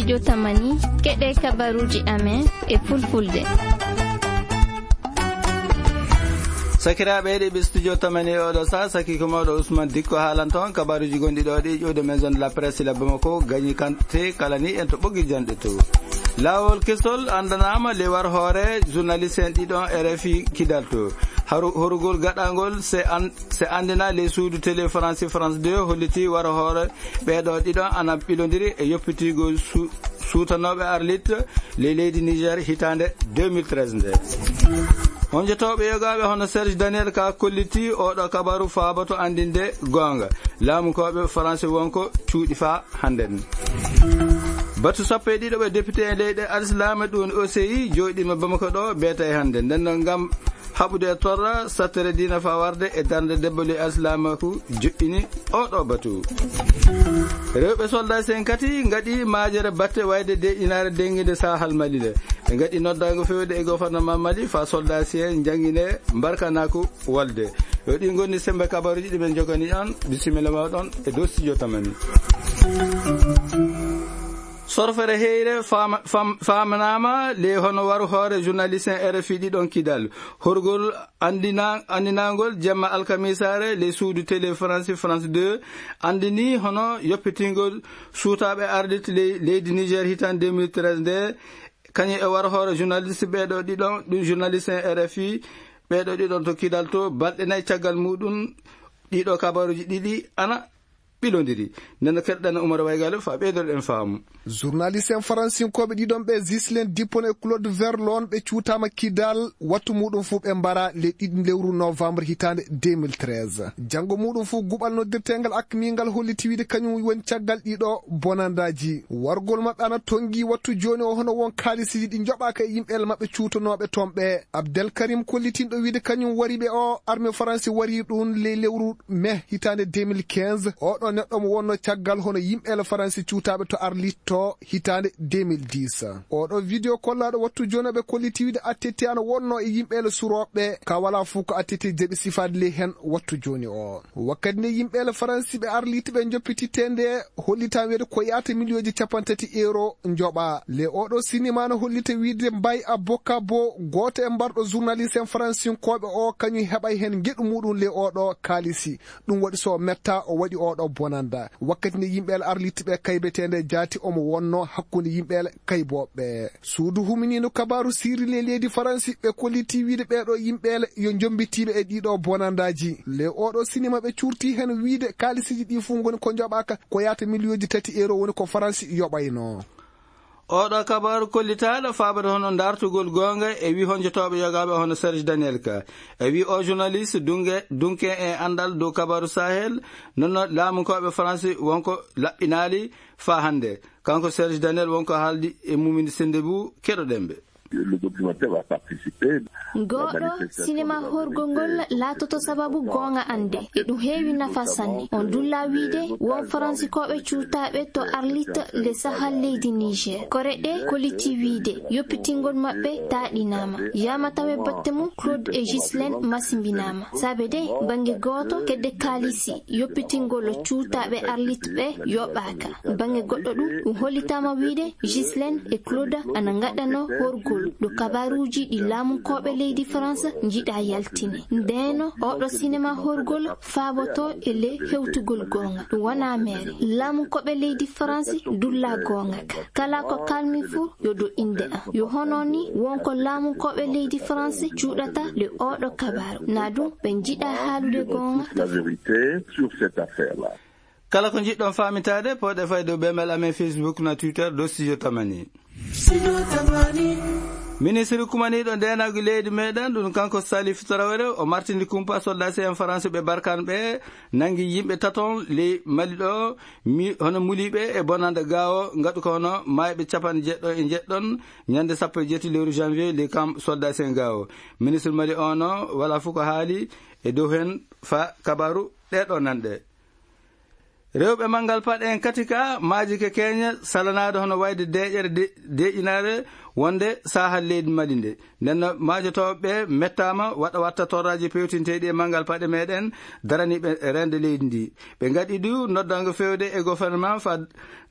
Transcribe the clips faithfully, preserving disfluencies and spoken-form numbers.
Yo tamani, keɗe kabaruji amen e fulfulde. Sakiraaɓe heɗiiɓe studio tamani e oɗo saa, saki ko mawɗo Ousmane Dikko haalanta on kabaruji gonɗi ɗo ɗi ƴuwde maison de la presse la Bamako, gañi kante kala ni en to ɓoggi janɗe to. Laawol kesol anndanaama le war hoore journaliste en ɗiɗon R F I Kidal to. Haru-, horugol gaɗangol se an-, se anndina le suudu télé France, France deux holliti war hoore ɓeeɗo ɗiɗon ana ɓilondiri e yoppitigo su-, suutanooɓe arlit ley leydi Niger hitaande deux mille treize nde. Honjotooɓe yogaaɓe hono Serge Daniel ka kolliti oɗo kabaru faaboto anndinde goonga. Laamukooɓe Faransi wonko cuuɗi faa hannden. Batu sappo e ɗiɗo ɓe député e leyɗe Alislaama ɗum O C I jooɗiima Bamako ɗo beeta e hannden. Nden noon ngam haɓude e torra sattere diina faa warde e darnde debbo ley Alislaamaaku joɗɗini oɗo batu. Rewɓe soldat sen kati ngaɗi maajere batte wayde de inaare dennginde Sahal Mali le. Ɓe ngaɗi noddaango fewde e gouvernement Mali faa soldat si en njanngine mbarkanaaku wolde. Yo ɗi ngoni sembe kabaruji ɗi ɓe njogani on. Bisimilla ma ɗon e dow studio tamani. Sorfere heyre fama-, fam-, famanaama le hono waru hoore journaliste en R F I ɗiɗon Kidal. Horgol anndina-, anndinangol jemma alkamisaare le suudu télé France, France deux, anndini hono yoppitingol suutaaɓe ardit le-, leydi Niger hitaande deux mille treize nde, kañum e war hoore journaliste ɓeeɗo ɗiɗon, ɗum journaliste en R F I, ɓeeɗo ɗiɗon to Kidal to, balɗe nayi caggal muɗum, ɗiɗo kabaruji ɗiɗi ana ɓilondiri. Nden no keɗɗen Umar Waygalo faa ɓeydoɗen faamu. Journaliste en faransinkooɓe ɗiɗon ɓe, Ghislain Dupont e Claude Verlon, ɓe cuutaama Kidal wattu muɗum fuu ɓe mbara le ɗiɗi lewru novembre hitaande deux mille treize. Janngo muɗum fuu guɓal noddirteengal akmingal holliti wiide kañum woni caggal ɗiɗo bonandaaji. Wargol maɓɓe ana tonngi wattu jooni o hono won kaalisiiji ɗi njoɓaaka e yimɓe maɓɓe cuutanooɓe toon ɓe. Abdel Karim kollitinɗo wiide kañum wari ɓe o armée faransi wari ɗum ley lewru mai hitaande deux mille quinze. Oɗo neɗɗo mo wonno caggal hono yimɓe faransi cuutaaɓe to Arlit to hitaande deux mille dix. Oɗo vidéo kollaaɗo wattu jooni ɓe kolliti wiide attete ana wonno e yimɓe surooɓe ka wala fuu ko attete jaɓi sifaade ley heen wattu jooni o. Wakkati nde yimɓe faransi ɓe Arlit ɓe njoppititte nde hollitaa wiide ko yaata miliyooji capanɗe tati euro njoɓa. Le oɗo sinima no hollita wiide Mbaye Aboka Bo, gooto e mbarɗo journaliste en faransinkooɓe o, kañum heɓay heen ngeɗu muɗum le oɗo kaalisi. Ɗum waɗi so metta o waɗi oɗo bonanda. Wakkati nde yimɓe Arlit ɓe kaybetee nde jaati omo wonno hakkunde yimɓe kaybooɓe. Suudu huminiindu kabaaru sirri le leydi Faransi ɓe kolliti wiide ɓeeɗo yimɓe yo njombitiiɓe e ɗiɗo bonandaaji. Le oɗo sinima ɓe curti heen wiide kaalisiiji ɗi fuu ngoni ko njoɓaaka ko yaata miliyooji tati euro woni ko Faransi yoɓayno. Oɗo kabaaru kollitaaɗo faabata hono dartugol goonga e wi honjotooɓe yogaaɓe hono Serge Daniel ka. E wi o journaliste dunge, dunke e anndal dow kabaaru Sahel, nonno laamunkooɓe Faransi wonko laɓɓinaali faa hannde. Kanko Serge Daniel wonko haaldi e Mumini Sendebou, keɗoɗen ɓe. Le documentaire va participer. Gooɗo sinema horgol ngol laatoto sababu goonga annde. E ɗum heewi nafa sanne. On dulla wiide won Faransikooɓe cuutaaɓe to Arlit le Sahal leydi Niger. Kore ɗe kolliti wiide yoppitingol maɓɓe taaɗinaama. Yaama tawe batte mum Claude e Ghislaine masimbinaama. Saabe de bannge gooto kedde kaalisi yoppitingol cuutaaɓe Arlit ɓe yoɓaaka. Bannge goɗɗo ɗum, ɗum hollitaama wiide Ghislaine e Claude ana ngaɗano horgol ɗo kabaaruuji ɗi laamunkooɓe leydi France njiɗa yaltine. Ndeeno, oɗo sinema horgol faaboto e le hewtugol goonga. Ɗum wonaa meere. Laamunkooɓe leydi France dulla goonga ka. Kala ko kalmi fuu yo ɗo innde am. Yo hono ni wonko laamunkooɓe leydi France cuuɗata le oɗo kabaaru. Na ɗum ɓe njiɗa haalude goonga. La vérité sur cette affaire-là. Kala ko njiɗɗon faamitaade, pooɗe fay dow bemel amen Facebook na Twitter dow Studio Tamani. Ministre kumaniiɗo ndeenaagu leydi meɗen, ɗum kanko Salif Traoré, o martini kumpa soldaasi en Faransi ɓe Barkan ɓe, nangi yimɓe taton ley Mali ɗo, mi-, hono muliiɓe e bonande gaawo, ngaɗu ko hono maayɓe capanɗe jeɗɗo e jeɗɗon, ñande sappo e jeetati lewru janvier, ley kam soldaasi en gaawo. Ministre Mali o no, wala fof ko haali e dow heen fa kabaru ɗeɗo nanɗe. Rewɓe manngal paɗe en kadi ka maaji ke keenya salanaade hono wayde deeƴere de-, deeƴinaare wonde saahal leydi Mali nde. Nden no maajotooɓe ɓe mettaama waɗa watta torraaji pewtinteeɗi e manngal paɗe meɗen daraniiɓe reende leydi ndi. Ɓe ngaɗi du noddango fewde e gouvernement fa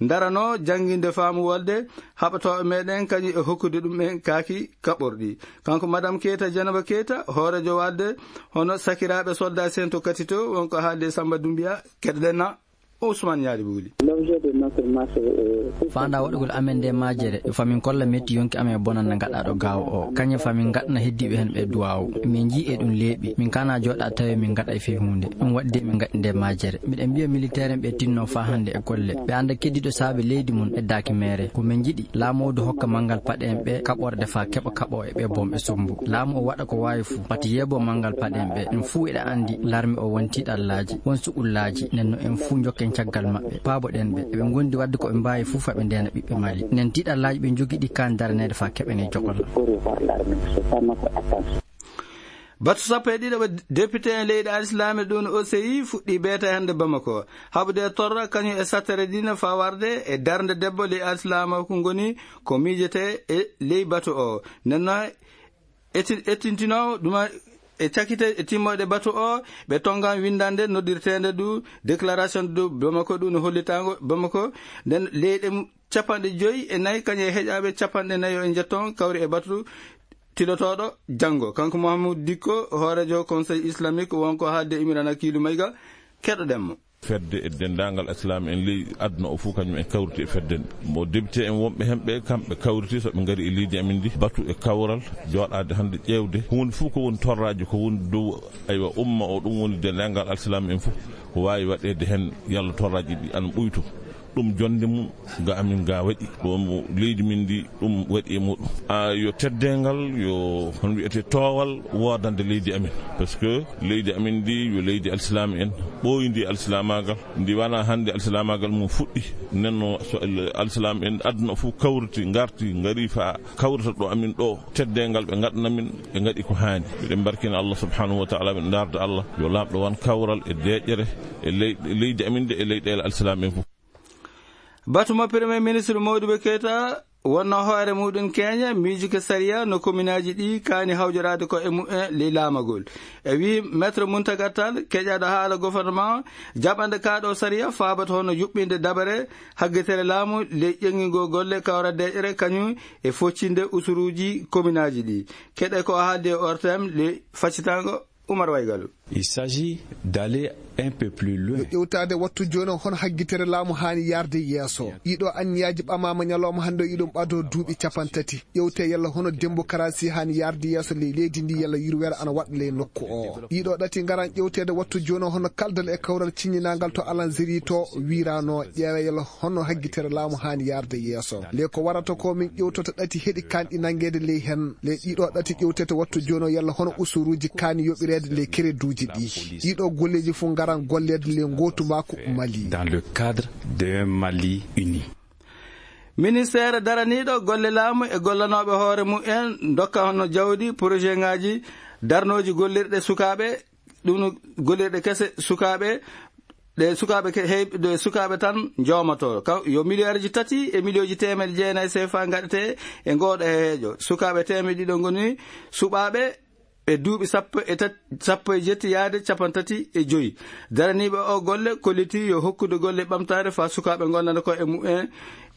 darano jannginde faamu wolde haɓatooɓe meɗen kañum e hokkude ɗum en kaaki kaɓorɗi. Kanko Madame Keita, Janaba Keita, hoorejo walde hono sakiraaɓe soldat sen to Katito, wonko haalde Samba Dumbiya, keɗoɗen na Ousmane Ñaali Buuli. L'objet de notre marche est faanda waɗugol amen nde majere, yo famin kolla metti yonki amen e bonanda gaɗaɗo gaawo o. Kañe famin gaɗana heddiɓe hen ɓe duwawu. Min jii e ɗum leeɓi. Min kana joɗa tawi min gaɗa e fii hunde. Ɗum waɗi de min gaɗi nde majere. Miɗen mbiya militaire en ɓe tinno fa hande e golle. Ɓe anda keddiɗo saabe leydi mun e daaki mere. Ko min jiɗi, laamu o du hokka manngal paɗe en ɓe kaɓorde fa keɓa kaɓo e ɓe bom e sumbu. Laamu o waɗa ko waawi fu, pati yeebo manngal paɗe en ɓe. En fuu eɗa andi larme o won tiiɗallaaji, won suɓullaaji. Nden no en fuu jokken caggal maɓɓe, paaboɗen ɓe. Eɓe ngondi wadde ko ɓe mbaawi fuu fa ɓe ndeena ɓiɓɓe Mali. Nden tiiɗallaaji ɓe njogii ɗi kaan daraneede fa keɓene jokol. Batu sappo e ɗiɗo ɓe député en leyɗe alislaame ɗum O C I fuɗɗi beeta hannde Bamako. Haɓude e torra kañum e sattere dina fa warde e darnde debbo ley alislaama ko ngoni ko miijete e ley batu o. Nden no eti-, ettintinoowo ɗuma e cakite e timmoɗe batu o, ɓe tongan winndande noddirteende du déclaration du Bamako ɗum no hollitango Bamako. Nden leyɗe mu-, capanɗe joyi e nayi kañum e heƴaaɓe capanɗe nayi o e njetton kawri e batu tilotooɗo janngo. Kanko Mouhamadou Dikko, hoorejo Conseil islamique, wonko haalde Imrana Kiilu Mayga, keɗoɗen mo. Fedde e denndaangal Islaam en ley aduna o fof, kañum en kawriti e fedde nde. Mo député en wonɓe heen ɓe, kamɓe kawriti, so ɓe ngari e leydi amin ndi, batu e kawral, jooɗaade hannde ƴeewde huunde fof ko woni torraaji, ko woni dow, aywa, umma o, ɗum woni denndaangal Islaam en fof, ko waawi waɗeede heen, yalla torraaji ɗi ana ɓuyto. Ɗum jonnde mum ga amin ga waɗi, ɗum leydi min ndi, ɗum waɗi e muɗum. A, yo teddeengal, yo, hono wiyetee, toowal woodande leydi amin. Parce que leydi amin ndi yo leydi alsilaam en, ɓooyndi alsilaamaagal, ndi wona hannde alsilaamaagal mum fuɗɗi. Nenno so al-, alsilaam en aduna fof kawriti, ngarti, ngari fa kawrita ɗo amin ɗo, teddeengal ɓe ngaɗana min, ɓe ngaɗi ko haani. Miɗen mbarkina Allah subhanahu wa ta'ala, ɓe ndaarda Allah, yo laamɗo won kawral e deeƴere e ley-, leydi amin ndi e leyɗeele alsilaam en fof. Batu mo Premier Ministre Modibo Keita wonno hoore muɗum keña miijuki sariya no kominaaji ɗi kaani hawjoraade ko e mumen ley laamagol. E wii Maître Mountaga Tall, keƴaaɗo haala gouvernement, jaɓande kaaɗo sariya faabata hono yuɓɓinde dabare haggitere laamu ley ƴeŋngingol golle kawra deeƴere kañum e foccinde usuruuji kominaaji ɗi. Keɗe ko haaldi e O R T M ley faccitango. Umar Waygalu. Il s'agit d'aller un peu plus loin. Yo ƴewtaade wattu jooni o hono haggitere laamu haani yaarde yeeso. Ɗiɗo anniyaaji ɓamaama ñalawma hannde o, iɗum ɓado duuɓi capanɗe tati. Ƴewte yalla hono démocratie haani yaarde yeeso ley leydi ndi, yalla yurweere ana waɗa ley nokku o. Ɗiɗo ɗati ngaran ƴewteede wattu jooni o hono kaldal e kawral ciññinangal to Alanziri to wiirano, ƴeewe yalla hono haggitere laamu haani yaarde yeeso. Le ko warata ko min ƴewtota ɗati heɗi kanɗi nanngeede ley heen. Le ɗiɗo ɗati ƴewtete wattu jooni o yalla hono usuruuji kaani yoɓireede ley kereduuji ɗi. Ɗiɗo golleeji fof ngaran golleede ley ngootu maaku Mali. Dans le cadre d'un Mali uni. Ministeere daraniiɗo golle laamu e gollanooɓe hoore mumen ndokka hono jawdi, projet ngaaji, darnooji gollirɗe sukaaɓe, ɗum no gollirɗe kese sukaaɓe, ɗe sukaaɓe ke-, hey-, ɗe sukaaɓe tan njoomatoo. Ka-, yo miliyarji tati e miliyooji teemedde jeenayi C F A ngaɗetee e ngooɗo heejo. Sukaaɓe teemedde ɗiɗo ngoni suɓaaɓe e duuɓi sappo e tati, sappo e jetti yaade capanɗe tati e joyi. Daraniiɓe o golle kolliti yo hokkude golle ɓamtaare faa sukaaɓe ngondana ko e mumen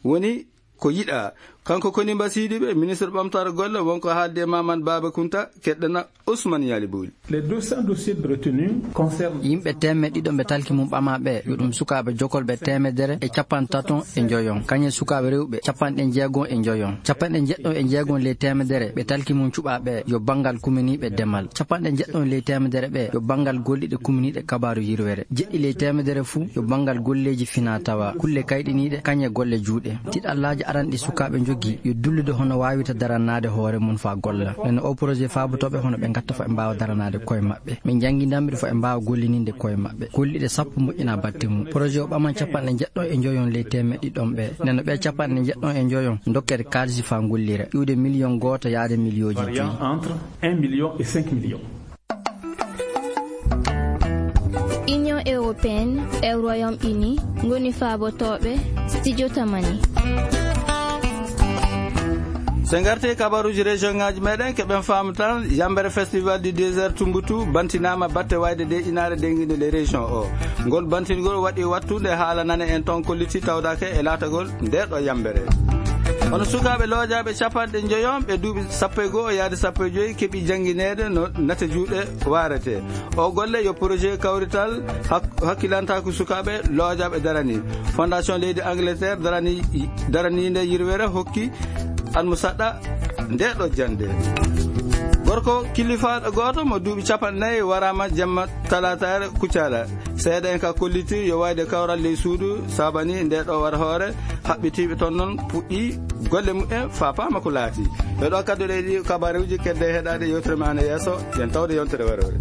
woni ko yiɗaa. Kanko Koni Mbasiidiɓe, ministre ɓamtaare golle, wonko haalde e Mamadou Baba Kounta, keɗɗena Ousmane Yaali Booli. Les deux cents dossiers retenus concernent yimɓe teemedde ɗiɗo ɓe talki mum ɓamaa ɓe, yo ɗum sukaaɓe jokolɓe teemedere e capanɗe tato e njoyon, kañum e sukaaɓe rewɓe capanɗe jeegom e njoyon. Capanɗe jeɗɗo e jeegom ley teemedere ɓe talki mum cuɓaa ɓe yo banngal kuminiiɓe demal. Capanɗe jeɗɗo ley teemedere ɓe yo banngal golliɗe kuminiiɗe kabaaru yirwere. Jeɗɗi ley teemedere fuu yo banngal golleeji finaa tawaa, kulle kayɗiniiɗe, kañum e golle juuɗe. Tiɗallaaji aranɗi sukaaɓe njogii yo dullude hono waawirta daranaade hoore mum faa golla. Nden o projet faabotooɓe hono ɓe ngatta faa ɓe mbaawa daranaade koye maɓɓe. Min njanngindanɓe faa ɓe mbaawa golliniinde koye maɓɓe. Golliɗe sappo moƴƴinaa batte mum. Projet o ɓaman capanɗe jeɗɗo e njoyon ley teemedde ɗiɗon ɓe. Nden ɓe capanɗe jeɗɗo e njoyon ndokkete kaalisi faa ngollira. Iwde miliyon gooto yaade miliyooji joyi. Variant entre un million et cinq millions. Union Euro- Européenne e Royaume-Uni ngoni faabotooɓe Studio Tamani. So ngartee kabaruuji région ŋaaji meɗen, keɓen faamu tan, Yambere Festival du Désert Tumbutu bantinaama batte wayde de inaare dennginde nde région o. Ngol bantingol waɗi wattude haala nane en toon kolliti tawdaake e laatagol nde ɗo Yambere. Hono sukaaɓe loojaaɓe capanɗe njoyon ɓe duuɓi sappo e goo yaade sappo e joyi keɓi janngineede no nate juuɗe waarete. O golle yo projet kawrital hak-, hakkilantaaku sukaaɓe loojaaɓe darani. Fondation leydi Angleterre darani, daraniinde yirwere hokki almusaɗɗa nde ɗo jannde. Gorko kilifaaɗo gooto mo duuɓi capanɗe nayi waraama jamma talaataare Kuccaaɗa. Seeɗa en ka kolliti yo wayde kawral ley suudu saabani nde ɗo war hoore, haɓɓitiiɓe toon noon puɗɗi golle mumen faapaama ko laati. Yo ɗo kaddoɗe ɗi kabaruuji kedde heɗaade yewtere ma ana yeeso, yen tawde yontere waroore.